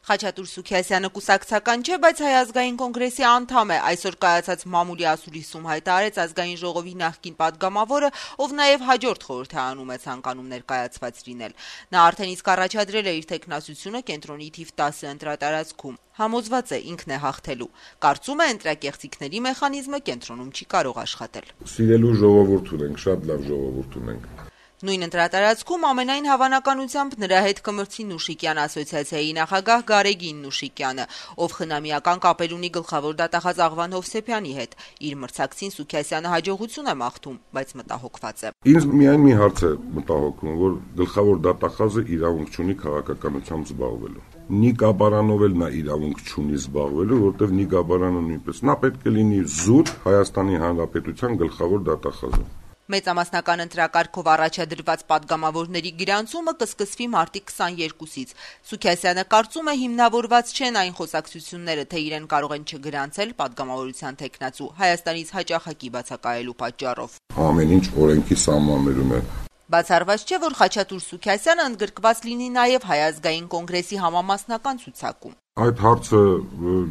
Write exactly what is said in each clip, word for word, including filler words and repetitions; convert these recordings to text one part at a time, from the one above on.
Խաչատուր Սուքիասյանը կուսակցական չէ, բայց Հայ ազգային կոնգրեսի անդամ է։ Այսօր կայացած մամուլի ասուլիսում հայտարարեց ազգային ժողովի նախկին падգամավորը, ով նաև հաջորդ խորհրդարանում է ցանկանում ներկայացված լինել։ Նա արդեն իսկ առաջադրել է իր թեկնածությունը կենտրոնի թիվ տասը ընտրատարածքում։ Համոզված է ինքն է հաղթելու։ Կարծում է ընտրակեղծիքների մեխանիզմը կենտրոնում չի կարող աշխատել։ Սիրելու ժողովուրդ ունենք, շատ լավ ժողովուրդ ունենք։ Նույն ընտրատարածքում ամենայն հավանականությամբ նրա հետ կմրցի Նուշիկյան ասոցիացիայի նախագահ Գարեգին Նուշիկյանը, ով խնամիական կապեր ունի գլխավոր դատախազ Աղվան Հովսեփյանի հետ։ Իր մրցակցին Սուքիասյանը հաջողություն է մաղթում, բայց մտահոգված է։ Ինձ միայն մի հարց է մտահոգում, որ գլխավոր դատախազը իրավունք չունի քաղաքականությամբ զբաղվելու։ Նիկա Բարանով էլ նա իրավունք չունի զբաղվելու, որտեղ Նիկա Բարանը նույնպես նա պետք է լինի զուտ Հայաստանի Հանրապետության գլխավոր դատախազը։ Մեծամասնական ընտրակարգով առաջադրված падգամավորների գրանցումը կսկսվի մարտի քսաներկուսից։ Սուքիասյանը կարծում է հիմնավորված չեն այն խոսակցությունները, թե իրեն կարող են չգրանցել падգամավորության թեկնածու Հայաստանից հաճախակի բացակայելու պատճառով։ Ամեն ինչ օրենքի սահմաններում է։ Բացառված չէ, որ Խաչատուր Սուքիասյանը ընդգրկված լինի նաև Հայ ազգային կոնգրեսի համամասնական ցուցակում։ Այդ հարցը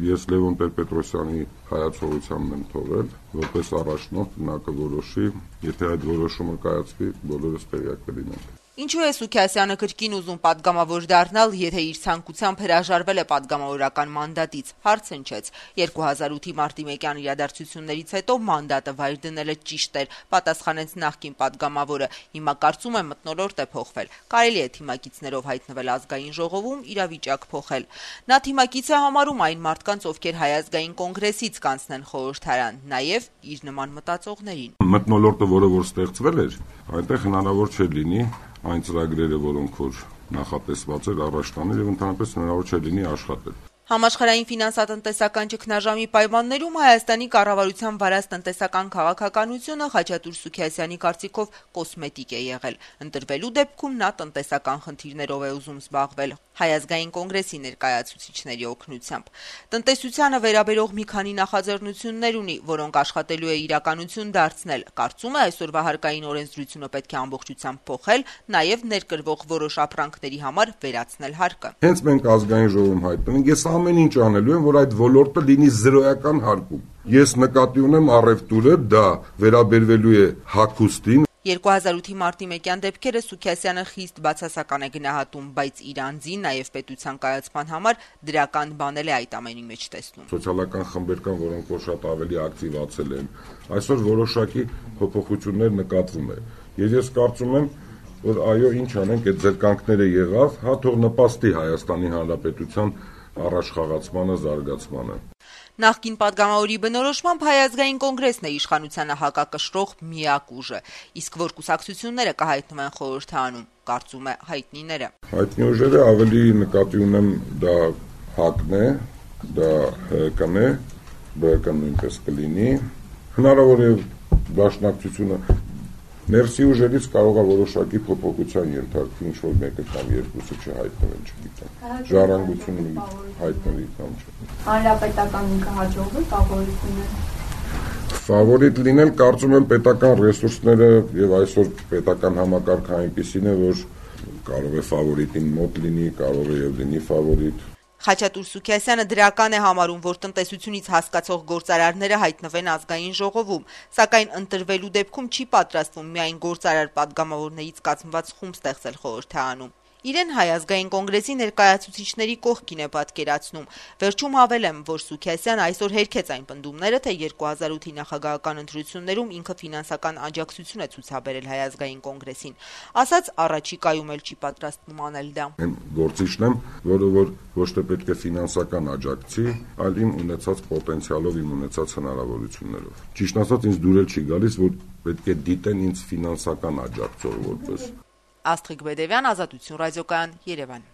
ես Լևոն Տեր-Պետրոսյանի հայացողությամբ եմ թողել, որպես առաջնորդ նա կորոշի, եթե այդ որոշումը կայացվի, բոլորս տեղյակ կլինենք։ Ինչու է Սուքիասյանը կրկին ուզում падգամավոր դառնալ, եթե իր ցանկությամբ հրաժարվել է падգամավորական մանդատից, հարց հնչեց։ երկու հազար ութի մարտի մեկյան իրադարձություններից հետո մանդատը վայր դնելը ճիշտ էր, պատասխանեց նախկին падգամավորը։ Հիմա կարծում է մթնոլորտ է փոխվել։ Կարելի է թիմակիցներով հայտնվել ազգային ժողովում, իրավիճակ փոխել։ Նա թիմակից է համարում այն մարդկանց, ովքեր Հայ ազգային կոնգրեսից կանցնեն խորհրդարան, նաև իր նման մտածողներին։ Մթնոլորտը, որը որ ստեղծվել էր, այնտեղ հնարավոր չէր լինի այն ծրագրերը, որոնք որ նախատեսված էր առաջ տանել եւ ընդհանրապես հնարավոր չէ լինի աշխատել։ Համաշխարհային ֆինանսատնտեսական ճգնաժամի պայմաններում Հայաստանի կառավարության վարած տնտեսական քաղաքականությունը Խաչատուր Սուքիասյանի կարծիքով կոսմետիկ է եղել։ Ընտրվելու դեպքում նա տնտեսական խնդիրներով է ուզում զբաղվել Հայ ազգային կոնգրեսի ներկայացուցիչների օգնությամբ։ Տնտեսությանը վերաբերող մի քանի նախաձեռնություններ ունի, որոնք աշխատելու է իրականություն դարձնել։ Կարծում է այսօրվա հարկային օրենսդրությունը պետք է ամբողջությամբ փոխել, նաև ներկրվող որոշ ապրանքների համար վերացնել հարկը։ Հենց մենք ազգային ժողովում հայտնենք, ես ամեն ինչ անելու եմ, որ այդ ոլորտը լինի զրոյական հարկում։ Ես նկատի ունեմ առևտուրը, դա վերաբերվելու է հագուստին։ երկու հազար ութի մարտի մեկյան դեպքերը Սուքիասյանը խիստ բացասական է գնահատում, բայց իր անձի, նաև պետության կայացման համար դրական բանել է այդ ամենի մեջ տեսնում։ Սոցիալական խմբեր կան, որոնք որ շատ ավելի ակտիվացել են։ Այսօր որոշակի փոփոխություններ նկատվում է։ Եվ ես կարծում եմ, որ այո, ինչ անենք, այդ զրկանքները եղավ, հա թող նպաստի Հայաստանի Հանրապետության առաջխաղացմանը, զարգացմանը։ Նախկին падգամավորի բնորոշմամբ Հայ ազգային կոնգրեսն է իշխանությանը հակակշռող միակ ուժը, իսկ որ կուսակցությունները կհայտնվեն խորհրդարանում, կարծում է հայտնիները։ Հայտնի ուժերը ավելի նկատի ունեմ դա ՀԱԿ-ն է, դա ՀԿ-ն է, ԲՀԿ-ն նույնպես կլինի, հնարավոր է դաշնակցությունը ներսի ուժերից կարող է որոշակի փոփոխության ենթարկվի, ինչ որ մեկը կամ երկուսը չհայտնվեն, չգիտեմ։ Ժառանգությունը հայտնվի կամ չէ։ Հանրապետական ինքը հաջողվի ֆավորիտ լինել։ Ֆավորիտ լինել, կարծում եմ, պետական ռեսուրսները եւ այսօր պետական համակարգը այնպիսին է, որ կարող է ֆավորիտին մոտ լինի, կարող է եւ լինի ֆավորիտ։ Խաչատուր Սուքիասյանը դրական է համարում, որ տնտեսությունից հասկացող գործարարները հայտնվեն ազգային ժողովում, սակայն ընտրվելու դեպքում չի պատրաստվում միայն գործարար падգամավորներից կազմված խումբ ստեղծել խորհրդարանում։ Իրեն Հայ ազգային կոնգրեսի ներկայացուցիչների կողքին է պատկերացնում։ Վերջում հավելեմ, որ Սուքիասյանը այսօր հերքեց այն պնդումները, թե երկու հազար ութի նախագահական ընտրություններում ինքը ֆինանսական աջակցություն է ցուցաբերել Հայ ազգային կոնգրեսին։ Ասաց առաջիկայում էլ չի պատրաստվում անել դա։ Գործիչն եմ, որը որ ոչ թե պետք է ֆինանսական աջակցի, այլ իմ ունեցած պոտենցիալով, իմ ունեցած հնարավորություններով։ Ճիշտ ասած, ինձ դուրել չի գալիս, որ պետք է դիտեն ինձ ֆինանսական աջակցող որպես։ Աստղիկ Բեդևյան, Ազատություն ռադիոկայան, Երևան։